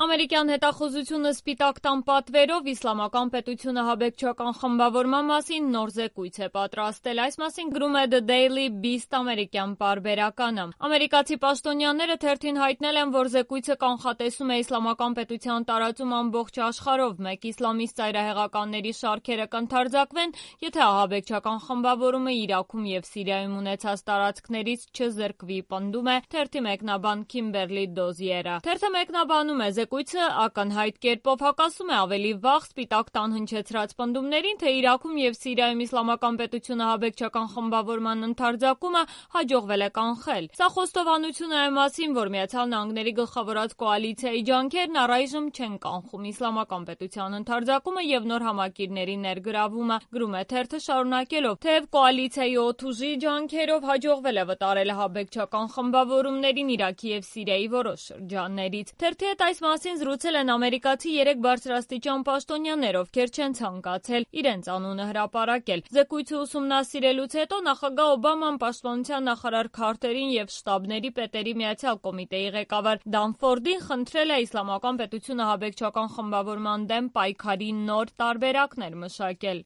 Ամերիկյան հետախուզությունը Սպիտակ տան պատվերով Իսլամական պետությունը ահաբեկչական խմբավորման մասին նոր զեկույց է պատրաստել։ Այս մասին գրում է The Daily Beast ամերիկյան պարբերականը։ Ամերիկացի պաշտոնյաները թերթին հայտնել են, որ զեկույցը կանխատեսում է Իսլամական պետության տարածում ամբողջ աշխարհով։ Մեկ իսլամիստ ծայրահեղականների շարքերը կընդարձակվեն, եթե ահաբեկչական խմբավորումը Իրաքում և Սիրիայում ունեցած տարածքներից չզրկվի, պնդում է թերթի մեկնաբան Քիմբերլի Դոզիերը։ Թերթը մեկնաբանում է զեկույցը ակնհայտ կերպով հակասում է ավելի վաղ Սպիտակ տան հնչեցրած պնդումներին, թե Իրաքում և Սիրիայում Իսլամական պետությունը ահաբեկչական խմբավորման ընդարձակումը հաջողվել է կանխել։ Սա խոստովանություն է այն մասին, որ Միացյալ Նահանգների գլխավորած կոալիցիայի ջանքերն առայժմ չեն կանխում Իսլամական պետության ընդարձակումը և նոր համակիրների ներգրավումը, գրում է թերթը շարունակելով, թեև կոալիցիայի օդուժի ջանքերով հաջողվել է վտարել ահաբեկչական խմբավորումներին Իրաքի և Սիրիայի որոշ շրջաններից։ Թերթի հետ այս մասին զրուցել են ամերիկացի 3 բարձրաստիճան պաշտոնյաներ, ովքեր չեն ցանկացել իրենց անունը հրապարակել։ Զեկույցը ուսումնասիրելուց հետո նախագահ Օբաման պաշտպանության նախարար Քարթերին և շտաբների պետերի միացյալ կոմիտեի ղեկավար Դանֆորդին խնդրել է Իսլամական պետությունը ահաբեկչական խմբավորման դեմ պայքարի նոր տարբերակներ մշակել։